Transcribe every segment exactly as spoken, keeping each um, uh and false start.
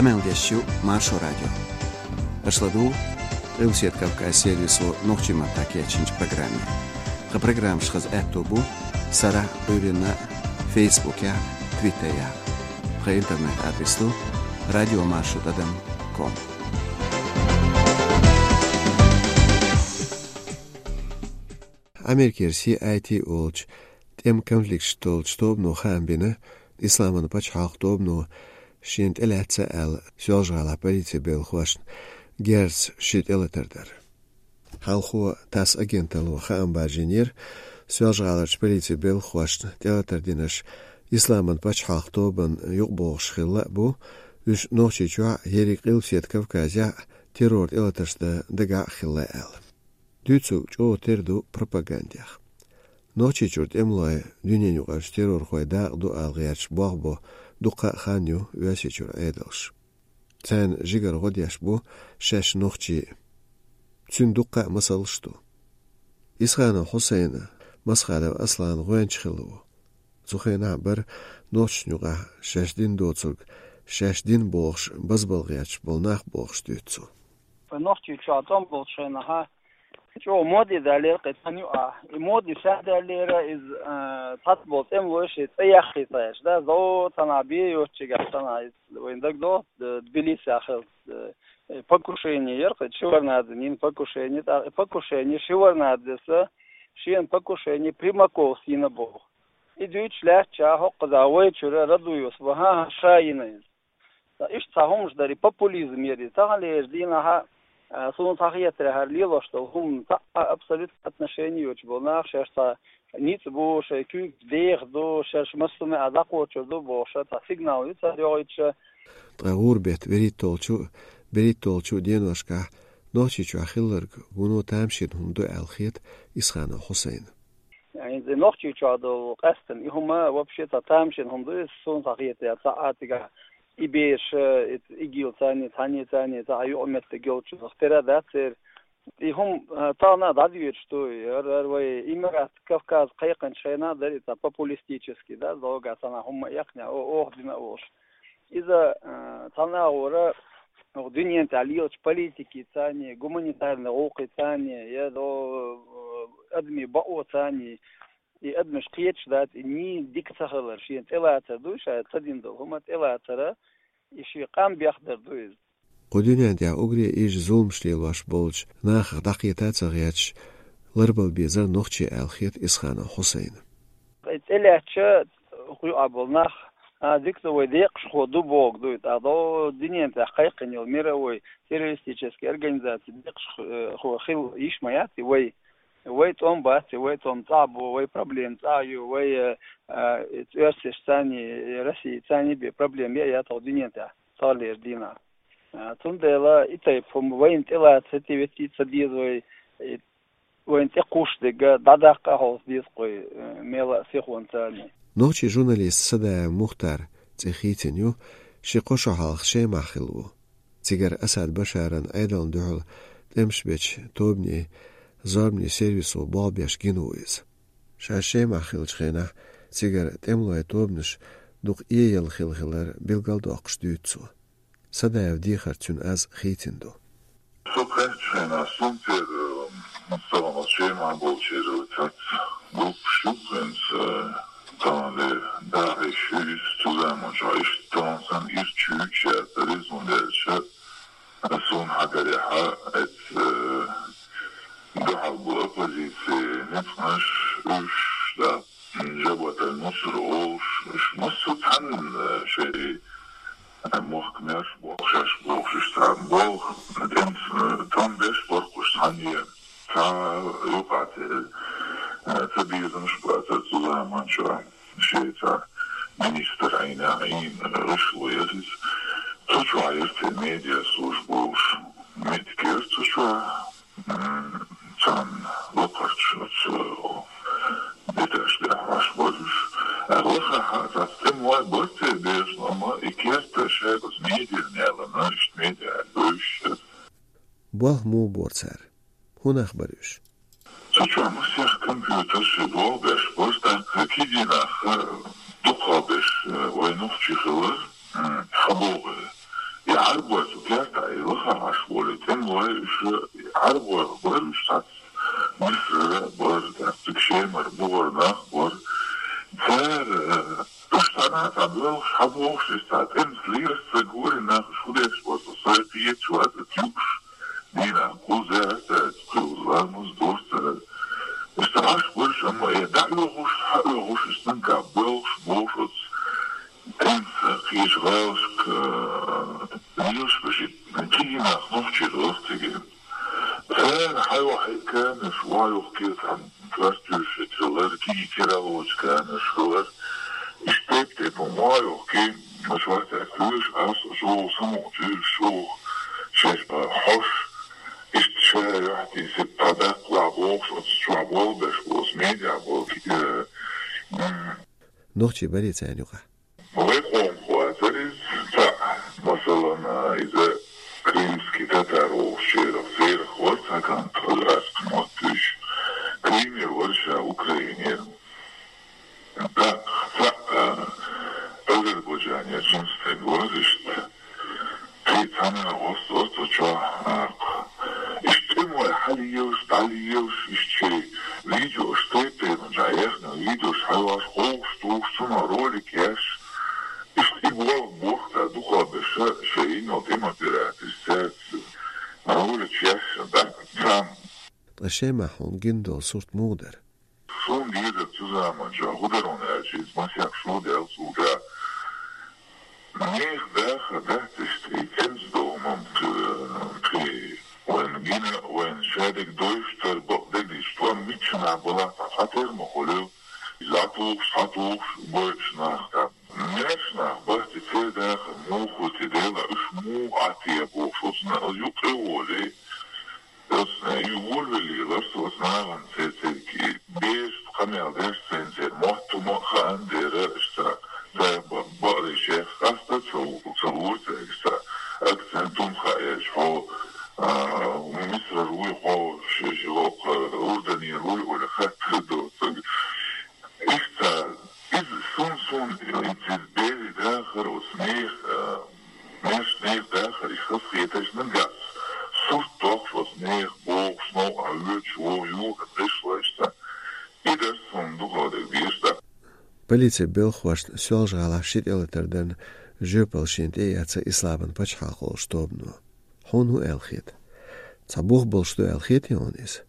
Къамел деш ю Маршо радио. Аша ладугӀу Къилбаседа Кавказ сервисо нохчийн маттахь кечйинчу программе. Тхан программаш хаза аьтто бу сарахь, Ӏуьйранна, Фейсбукехь, Твиттерехь. Тхан интернет-адрес ду радиомаршо тӀадам ком. Америкера Си Ай Ти олучу тӀеман конфликташ долчу тобано хаам бина, Исламан пачхьалкх тобано шена тӀелаьцна аьлла, Соьлжа-ГӀалахь полицин белхахошна герзаца ши тӀелатар дар. Хьалхо ТАСС агенталло хаам баржийнера, Соьлжа-ГӀаларчу полицин белхахошна тӀелатар динарш Исламан пачхьалкх тобанна юкъабогӀуш хилла а бу, уьш Нохчийчохь а, ерриг Къилбаседа Кавказехь а террор тӀелатарш дан дагахь а хилла аьлла. Дуьйцург чӀогӀа тера ду пропагандех. Нохчийчуьра тӀемалой дуьненаюкъарчу террорхойн дакъа ду ала гӀерташ болх бо дуккха а хан ю Оьрсийчуьра Ӏедалш. Царна жигара гӀо деш бу шаьш нохчий а. Цуьнан дуккха а масалш ду. Исханов Хьусайна, Масхадов Аслана гӀоьнча хилла ву. Цу хенахь бара нохчашна юкъахь шаьш дина доцург, шаьш дина бохуш, базбала гӀерташ болу нах бохуш дуьйцу цо. Нохчийчохь тӀом болчу хенахь чӀогӀа моде даьллера кхин цхьана юкъахь. И моде ша даьллера иза, а, цхьацца болу тӀемалой шайн цӀе яххийта гӀерташ, да, зо цхьанхьа бен йоцучигахь цхьанхьа иза вайна дагадогӀу, д-, Тбилисехь хилла, э, покушение яра кхин Шеварднадзен йина покушение, тӀаккха и покушение Шеварднадзес шена покушение Примаковс йина боху. И дуьйцуш лаьттачохь хӀокхузахь вайчуьра Радуевс боху, хӀан-хӀа, ша йина иза. Ткъа иштта цхьа хӀуманаш дара, и популизм яра иза. Таханлерчу дийнахь, а, суна цхьа хетарехь, хӀара лелош долу хӀума цхьа а абсолютно отношение йоцуш болу нах шаьш цхьа ницкъ бу, шайн куьйгаш деха ду, шаьш массо а меттехь дӀакхочур ду бохуш, цхьа сигнал ю цара йохуьйтуш. Ткъа гӀуран беттан берхӀитталгӀачу, берхӀитталгӀачу деношкахь Нохчийчохь хилларг вуно тамашийна хӀума ду аьлла хета Исханов Хьусайна. ХӀинца Нохчийчохь долу къаьсттина и хӀума вообще цхьа тамашийна хӀума ду иза, суна цхьа хетарехь, цхьа а цигахь и бераш, и, ИГИЛ царний, цхьанний, царний, цхьа а юкъаметтиг йолчух тера дац церан. И хӀума, а, тахана а дӀадоьдуш ду, хӀара, хӀара вай Эмират Кавказ кхайкхинчу хенахь дара и цхьа популистический, да, зовгахь санна хӀума а эккхинехь, о-, оха дина а волуш. Иза, а, цхьана агӀора, оха дуьнен тӀехь лелачу политикица царний, гуманитарный гӀуллакхица царний, я до, а, адамийн бакъоца царний, и адамаш кхеташ дац, и нийса дика ца хилар, шена тӀелацар ду, ша ца дина долу хӀума тӀелацара, и шен къам бехдар ду иза. Кху дуьнен тӀехь уггаре а ижа зуламаш лелош болчу нахах дӀакхета а ца гӀерташ, ларбала безара нохчий аьлла хета Исханов Хьусайна. ТӀелаьцча, кху юкъахь болу нах, а, дика ду, вай декъашхо ду бохург ду и, тӀаккха дуьнен тӀехь кхайкхина йолу мировой террористический организаций декъашхо хила йиш ма яц и вай. Вай тӀом бац и, вай тӀом цӀахь бу, вай проблема цӀахь ю, вай, э, э, оьрсашца царний, э, Россица царний бен проблема яц хӀокху дуьнен тӀехь таханлерчу дийнахь. Э, цундела и тайпа хӀума вайна тӀелаца хӀетте-ветте ца деза вай, э, вайна тӀекхуссург дӀадаккха а хьовса деза кху вай, э, мел а сихонца царний. Нохчийн журналист Садаев Мухтар цӀе хийцина ю, ши-кхо шо хьалха Шемахь хилла ву. Цигара Асад Башаран Ӏедална дуьхьал тӀемаш бечу тобанийн зорбанийн сервисо болх беш гина ву иза. Ша Шемахь хиллачу хенахь цигара тӀемалойн тобанаш дукха эялла хилла хилар билгалдоккхуш дуьйцу цо. Садаев дехар цуьнан аз хийцина ду. Со кхаьччу хенахь, сунтера, м, саламат Шемахь болчеран цац группаш ю хӀинца, э, таханлера ДАИШ ю иза, цу заманчохь иштта тахана санна ирча ю, шаьртара резун даьлча, суна хьагарехьа, эцу, э, дуьхьал бу оппозицин ницкъанаш, уьш, да, Жабат аль-Нусра олуш, уьш массо а цхьанна, э, шайн, э, мохк мерш бохуш, шаьш бохуш, уьш цхьа болх, тӀемас, э, тӀом беш баркхуш цхьаьна е. Цхьа юкъа тӀе, э, ца безамаш бацара цу заманчохь. Шеца министр Ӏийна, Ӏийна, гӀишло яра иза. Цу чохь яра те медиаслужба олуш. Меттиг яра цу чохь, м, царна лакхарчу оцу этажаш тӀехь Ӏаш бара уьш. Лахахьа цхьацца тӀемалой бара те безаш, амма и керта шайга оцу медиана ялана, иштта медиа бевзаш яра. Болх муха бора цара? ХӀун нах бара уьш? Цу чохь масех компьютер ши боху беш бара, тӀаккха кегий нах, э, дукха беш, э, вай нохчий хилар, м, хьан боху, э, Ӏарбой цу керта и лаха Ӏаш волий, тӀемалой уьш, Ӏарбой бара уьш цхьацца, Мисрара бара, тӀаккха цига Шемара бугӀар нах бара. Цара, э, уьш цхьана цхьа боьлхуш, хьабохуш, иза цхьа тӀемца лелаш ца гори нах, уьш хӀун деш бара, со сай кхеташ вац, аса юуш, дийнахь кхузза, аса ца кхуьйла ламаз дора цара. Уьш цхьа Ӏаш бара уьш, амма э дӀаоьхуш, хьаоьхуш, уьш цунга боьлхуш, бохуш оцу тӀемца кхечу гӀалашка, э, лелаш беш, кегий нах нохчий дара цига. Цара хьайохьий камераш, охьайохкий цхьана картуьш хилар, кегий кералочу камераш хилар. Иштта тайп-тайпана охьайохкий, аша вац аьлла, вуьйш ас, чӀогӀа самукъа туьйсуш, чӀогӀа шаьш хьош, иштта ша юьхь тийсира, дӀадаккха лахь бохуш, оцу чохь болх беш болу, медиа болу, э, м. Нохчий барий царна юкъахь? Вайн къомах вацара иза цхьаъ, масалан, иза крымский татар волчерах, церах вара цхьа кӀант, хазарский мотт вуьйш. Крымера вара ша, Украинера. ТӀаккха цхьаъ, а, Азербайджанера цуьнан стаг вара иштта. Кхин цхьа нах вац, вац оцу чохь, а, иштта тӀемалой хьалелаш, дӀалелаш, иштта шайн видеош, тайп-тайпана чохь яьхна видеош хьайош, ховш, тухуш, цунах ролик еш, иштта и болх боху цара дукхахберш, шайн йина йолу тӀеман операторш цаьрца ролик еш, дӀа царна. Ткъа Шемахь хьуна гина долу сурт муха дара? Суна дезара цу заманчохь, хӀун дара хьуна аьлча, иза масех шо даьлла цу да. Нехан дахар дац иштта, и тӀемца долу ма-, кхин, вайна гина, вайна шадерг дойуш тара бакъдерг дийцича, тхо миччанахь балахь цхьа тера ма хуьлу. Иза тухуш, схьатухуш, бойуш нах тӀаккха. Маьрша нах бац и, церан дахар муха ву те, Дела, уьш муха Ӏа те бохуш, оцу на-, юккъе а волий. Оцу, э, и волавелла ларца оцу нахана церан, церан берашна къамел деш, церан, церан мотт хӀума а хаан дера, иштта, цара ба-, бакъдерг шех къаста ца лу-, ца лора цаьрга, иштта, акцент хӀума хаьа, хьо, а, Мисрара вуй хьо, ши-, ши-, хӀокху Урданера вуй олий хаттар доцург. Иштта, иза сун-сун, иза берийн дахар оцу нехан, а, маьрша нехан дахар, и хазахетарш нагахь сурт дохуш оцу нехан бохуш, новкъахь воьдуш, вон юхана гӀишлойшца. И дара суна дукха дерг дезаш дара. Полицин белхахошна Соьлжа-ГӀалахь ши тӀелатар дарна жоьпалла шена тӀе а эцна Исламан пачхьалкх олучу тобано. Хьуна хӀун аьлла хета? Цхьа бух болуш ду аьлла хетий хьуна иза?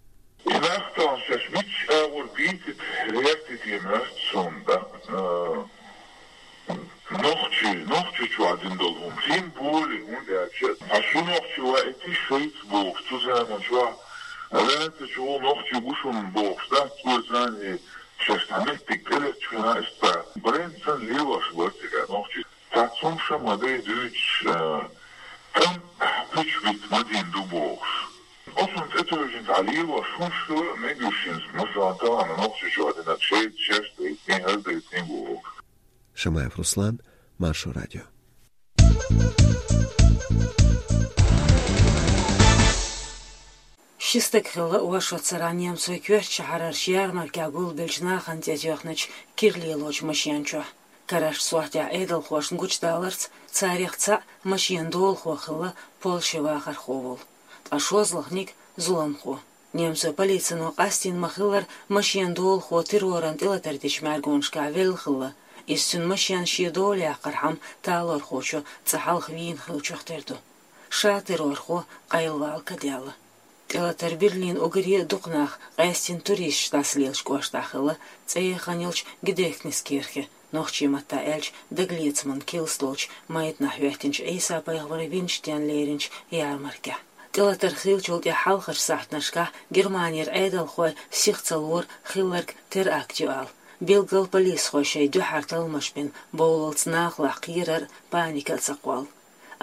И нах тахана шаьш мичча агӀор бийцийта, гӀертийта моьтту суна, да, а, нохчий, нохчийчохь дина долу хӀума. Тем более, хӀунда аьлча, хьан шу нохчий ваийтий шайца бохуш, цу заманчохь, лаьцначу ву нохчий бу шуна бохуш, да, цо царна шаьш цхьа меттиг тӀелеттачу хенахь, иштта, брендца лелош бара цигахь нохчий. Цхьацца хӀума ма дай дуьйцуш, а, тӀам пуьчбита ма дина ду бохуш. Оцунна тӀетевжина цхьа лелош хӀумнаш хила мегаш ю шуна, масала, тахана нохчийчохь динарг шайца шаьш дайтиний, хӀара дайтиний бохуш. Шамаев Руслан, Маршо радио. Ши стаг хилла оршот цара немцойн коьртачу шахьарарчу ярмаркехь гулбеллачу нахана тӀетоьхначу кира лелочу машен чохь. Карарчу сохьтехь Ӏедалхошна гучудаларца, царех цхьаъ машенан долахо хилла Польшин вахархо волу, ткъа шолгӀаниг зуламхо. Немцойн полицино къастийна ма-хиллара, машенан долахо терроран тӀелатар дечу мӀаьргонашкахь велла хилла. Иза цуьнан машен шен дола яккхархьама талорхочо цкъа хьалха вийна хиллачух тера ду. Ша террорхо къайлавала ка даьлла. ТӀелатар Берлин уггаре а дукха нах, къаьсттина туристаш дӀасалелачу кӀоштахь хилла, цӀе яхана йолчу Гедехтнис-кирхе, нохчийн маттахь аьлча, дагалецаман килс долчу майданахь хӀоьттинчу Ӏийса-пайхамар винчу денна леринчу ярмаркехь. ТӀелатар хиллачул тӀаьхьа хьалхарчу сахьтанашкахь Германера Ӏедалхой сиха ца лора хилларг теракт ю ала. Билггал полисхой шайн дуьхьара талламаш бина, бовллалц нахалахь кхерар а, паника а ца кхолла.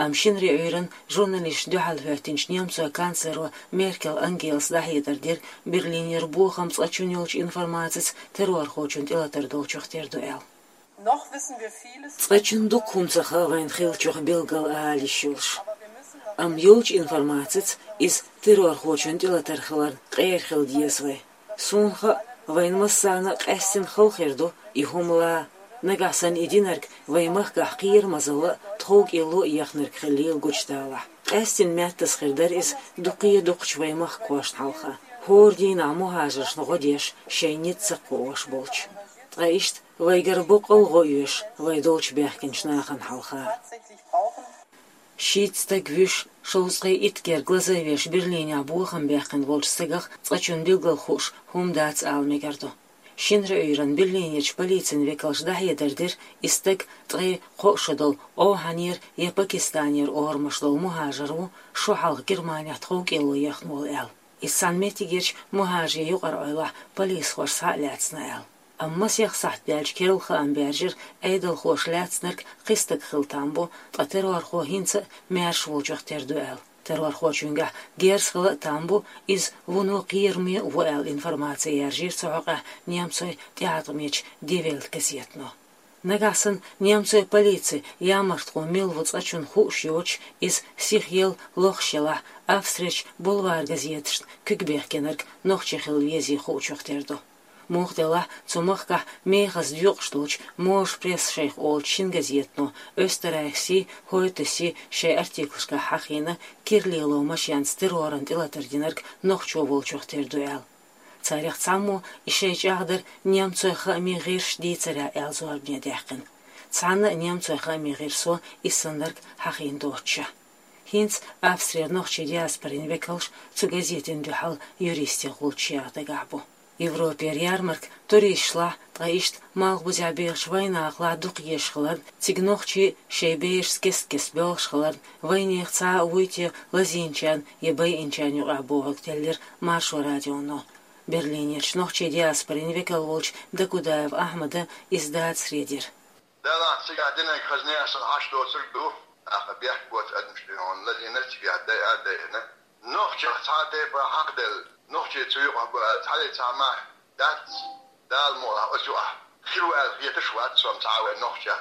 Амма шинарин Ӏуьйранна журналисташна дуьхьал хӀоьттинчу немцойн канцлеро Меркел Ангелас дӀахьедар дира, Берлинера бохам цкъачунна йолчу информацица террорхочун тӀелатар долчух тера ду аьлла. Цкъачунна дукха хӀума ца хаьа вайна хиллачух билггал ала йиш йолуш. Амма йолчу информацица иза террорхочун тӀелатар хиларна къера хила деза вай. Суна хаьа, вайна массарна а къаьсттина хала хир ду и хӀума лан. Нагахь санна и динарг вайн махкахь кхерамазалла а, тховкӀело а ехнарг хилийла гучадалахь. Къаьстина меттаза хир дара иза дуккха а дукхачу вайн махкахошна хьалха. ХӀора дийнахь мухӀажаршна гӀо деш, шайн ницкъ ца кхоош болчу. Ткъа иштта вайгара боккъал а гӀо оьшу вай долчу баьхкинчу нахана хьалха. Шийтта стаг вуьйш, шовзткъе итт гергга лазавеш Берлинехь бохам баьккхина волчу стагах цкъачунна билггал хууш хӀума дац ала мегар ду. Шинарин Ӏуьйранна Берлинерчу полицин векалша дӀахьедар дира, и стаг ткъе кхо шо долу Ӏовхьанера я Пакистанера орамаш долу мухӀажар ву, шо хьалха Германехь тховкӀело ехна волу аьлла. Иза цхьана меттигерчу мухӀажарийн юкъара Ӏуьллахь полисхоша схьа а лаьцна аьлла. Амма масех сахьт даьлча керла хаам баьржира, Ӏедалхоша лаьцнарг кхин стаг хила там бу, ткъа террорхо хӀинца а маьрша волчух тера ду аьлла. Террорхочуьнгахь герз хила а там бу, иза вуно кхераме а ву аьлла информаци яржийра цу хьокъехь немцойн тӀеӀаткъамечу Die Welt газетано. Нагахь санна немцойн полицин ямартхо мила ву цкъачунна хууш йоцуш, иза сихъелла лохуш елахь, Австрерчу бульвар газеташна куьг бехкенарг нохчи хила везий хуучух тера ду. Муха делахь, цу махкахь мехаза доькъуш долчу Можа пресс шайх олучу шина газетано Österreichs-и, Heute-си шайн артиклашкахь хьахийна, кира лело машенца терроран тӀелатар динарг нохчо волчух тера ду аьлла. Царех цхьаммо и шайн чӀагӀдар немцойн хаамийн гӀирсаша дийцарехь аьлла зорбане даьккхина. Цхьанна а немцойн хаамийн гӀирсо и саннарг хьахийна доцуш. ХӀинца Австрера нохчийн диаспорин векалш цу газетина дуьхьал юристийн гӀулчаш яха дагахь бу. Европера ярмарка туристашлахь, ткъа иштта малхбузехь бехачу вайнахалахь дукха езаш хиларна, цига нохчий шайн берашца кест-кеста боьлхуш хиларна, вайнехан цхьа а вуй те лазийначарна я байинчарна юкъахь бохург теллира Маршо радионо. Берлинерчу нохчийн диаспорин векал волчу Дакудаев Ахьмада иза дацаре дира. Делахь цигахь динарг хаза нехан санна хьаш доцург ду, тӀаккха бехк боцу адамашна хьуна лазийнарг цигахь дайа а дайина. Нохчех цхьа а тайпа хьакхаделла, нохчий цу юкъахь бу аьлла цхьаллица цхьа мах дац, Дала мукъалахь оцу юкъахь хир ву аьлла хеташ а вац со-м цхьа а вайн нохчех.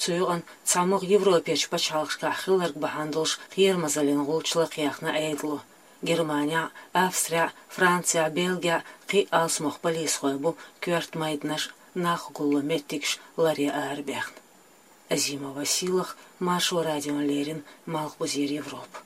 Цу юкъана цхьамогӀа Европерчу пачхьалкхашкахь хилларг бахьана долуш кхерамазаллин гӀулч лакхаяьхна Ӏедало. Германехь, Австрехь, Францехь, Бельгехь кхин а алсамох полисхой бу коьрта майданаш, нах гулло меттигаш ларъян арабаьхна. Азимова Сийлаха, Маршо радиона леррина, Малхбузера Европа.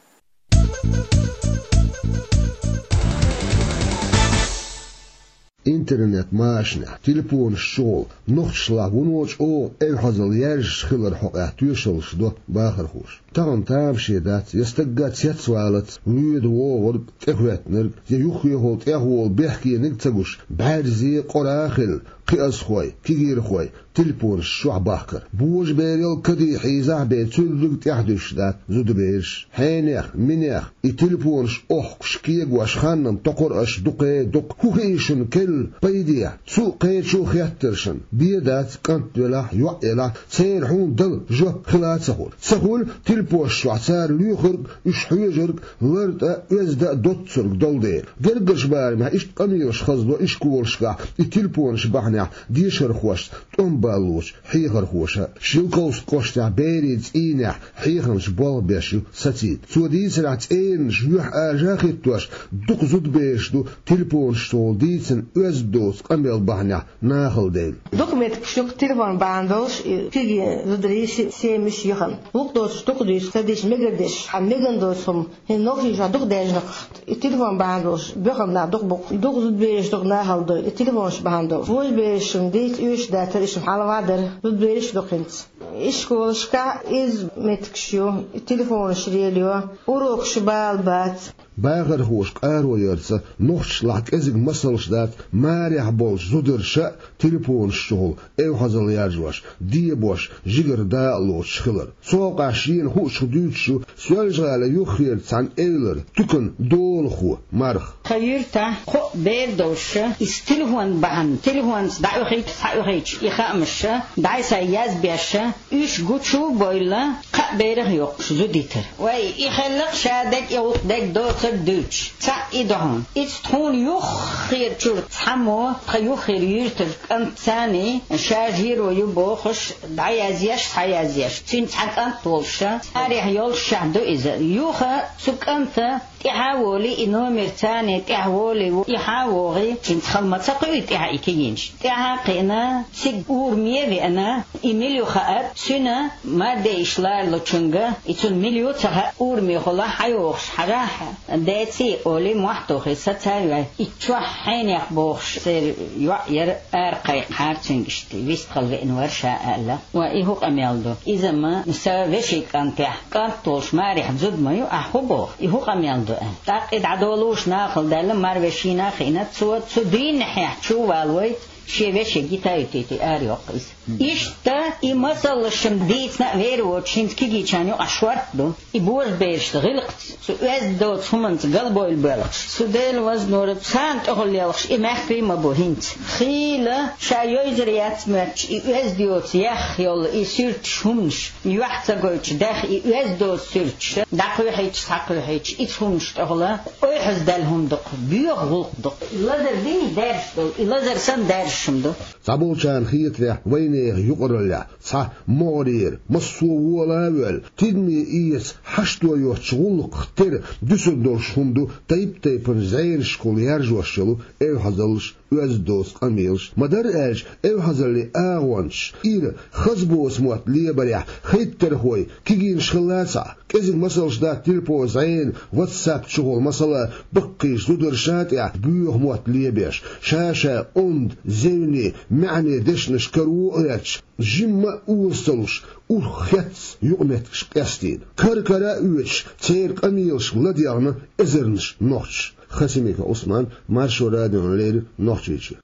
Интернет-машанехь, телефонаш чухула нохчашлахь вуно чӀогӀа эвхьазалла яьржаш хилар хьокъехь тоьшаллаш до бахархоша. Тахана тамаше дац, я стагга цецвалац, воьду вогӀург, тӀехӀоьттинарг, я юххехула тӀехволу бехкениг а ца гуш, бӀаьрзе, къора а хилла, кхиазхой, кегийрхой телефонаш чохь бахкар. Божаберал каде хьийзахь а бен, цуьрриг тӀаьхьадуьсуш дац зудабераш. Хьенех, минех и телефонаш охкуш, кегош ханна токхур аша дукхе дукха. ХӀун хии шуна керла, пайде? Цу а кхечу а хеттаршна, бен дац, кӀант велахь, йоӀ елахь, церан хьуна дала жоп хила а ца хуьлу. Ца хуьлу, телефонаш чохь цара лоьхург, уьш хьоьжург лартӀа а, оьзда а доццург долу дела. Гергарчу барамехь иштта къамелаш хазло ишколашкахь и телефонаш бахьанехь дешархошца тӀом баллочу хьехархоша. Шелковски кӀоштехь берийн цӀийнехь хьехамча болх беш ю Сацийта. Цо дийцарехь, цӀеранаш юьхьӀаьржа а хӀиттош, дукха зудабераш ду телефонашца волу дийцина оьзда доцу къамел бахьанехь нахала девлла. Дукха меттигаш ю-кх телефон бахьана долуш и кегий зударий се-, семьяш яхана. Вукху доцуш дукха дуьйцу, ца дича мегар деш, хьан меган доцу хӀума. ХӀинца нохчийчохь дукха даьржина-кх и телефон бахьана долуш боьхна нах дукха бу-кх. Дукха зудабераш дукха нахала ду и телефонаш бахьана долуш. Вожаберашна дийца оьшуш дацара, иштта хьалаван дара. Зудабераш а ду-кх хӀинца. Ишколашкахь изза меттигаш ю, и телефонаш лелайо, урокаш бала бац. Бахархоша къаро ярца, нохчашлахь кӀезиг масалш дац, марехь болчу зударша а телефонаш чухула эвхьазалла яржош, дебош, жигара дакъа лоцуш хилар. Цу хьокъехь шена хуучух дуьйцуш ю Соьлжа-ГӀалин юххера цхьана эвлара туьканан долахо Марха. Тхан юьртахь кхо бер долуш, иза телефон бахьана, телефонца дӀаоьхуьйтуш, схьаоьхуьйтуш и хаамаш дӀай-схьай язбеш, уьш гучу а бойла, кхаа берах а йоккхуш зудийтар. Вай, и хилла-кх ша дерг, и гӀуллакх дерг доцу, дуьйцуш, цхьаъ и ду хьуна. Иза тхуна юххера чуьра цхьаммо, тхан юххера юьртара кӀант царний, ша жиро ю бохуш, дӀаязъеш, схьаязъеш. Цуьнан цхьа кӀант волуш, царехь йолуш шаьхьа ду иза. Юха цу кӀанта тӀаьхьа а волий, и номер царний тӀаьхьа волий, и хьан а вогӀий, цуьнца хала ма ца кхуьуьйту тӀаьхьа и кегийнаш. ТӀаьхьа а кхиъна, цига ураме а веана, и мила ю хаьа, цуьнан мардейиш ларалучуьнга, и цунна мила ю ца хаьа, урамехула хьайогӀуш хьажахь, деций олий, мохь тухий, саца а ваьй. И чохь хьенех бохуш, церан йоӀ яра, ара кхайкхахьара цуьнга иштта, вистхила веана вара ша аьлла. Ва и хӀун къамел ду? Иза-м сан вешин кӀантехь, кӀант волуш марехь зуда ма ю, ахь хӀун боху? И хӀун къамел ду аьлла. ТӀаккха и дӀадолуш нахала даьлла, марвешина а хиъна, цо цу дийнахьехь чу а валавой, шен вешин гита а йитийтий, арайоккху иза. Иштта и масаллаш-м дийцина а вер воцуш, хӀинца кегийчарна юкъахь шортта ду. И божаберашца, гӀиллакхца, цу оьзда доцу хӀуманца галбевлла боьлхуш. Цу Делан вазнора царна тӀехула лелхаш и мехкарий а ма бу хӀинца. Хийла ша йовзар яц моьттуш, и оьзда йоцу, яхха йолу и суьрташ, хӀуманаш, юьхь ца гойтуш, дехха и оьзда доцу суьрташ дӀакхоьхьуьйтуш, схьакхоьхьуьйтуш, иза хӀуманаш тӀехула ойхьаздаьлла хӀума ду-кх, боьха гӀуллакх ду-кх. И лазар дийна даьржаш долу, и лазар санна даьржаш хӀума ду. Цхьаболчарна хетарехь, вайнехан юкъараллехь цхьа могӀарера, массо а вола а воьлла, тидаме эца хьашто йоцучу гӀуллакхах тера дуьсур долуш хӀума ду тайп-тайпана зӀенашкахула яржош йолу эвхьазаллаш, оьзда доцу къамелаш. Ма-дарра аьлча, эвхьазаллин агӀончаш ира хаза боцу мотт лебарехь хӀайттархой, кегийнаш хилла а ца Кӏезиг масалш дац телефон, зӏена, WhatsApp чухула, масала, баккхийчу зударша тӏехь боьха мотт лебеш, ша-ша онда, зевне, маьӏне дешнаш каро а гӏерташ, жимма а оза ца луш, урх хецна юкъаметтигаш къестийна. Кара-кара а оьцуш, церан къамелашка ладегӏна эзарнаш нохчаша. Хасимиков Ӏусман, Маршо радиона леррина, Нохчийчоь.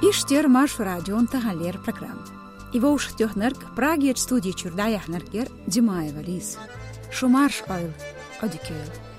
Иштта яра Маршо радион таханлера программа. И вовшахтоьхнарг, Прагерчу студи чуьра дӏаяьхьнарг яра Димаева Лиза. Шу марша Ӏойла, Ӏодика йойла.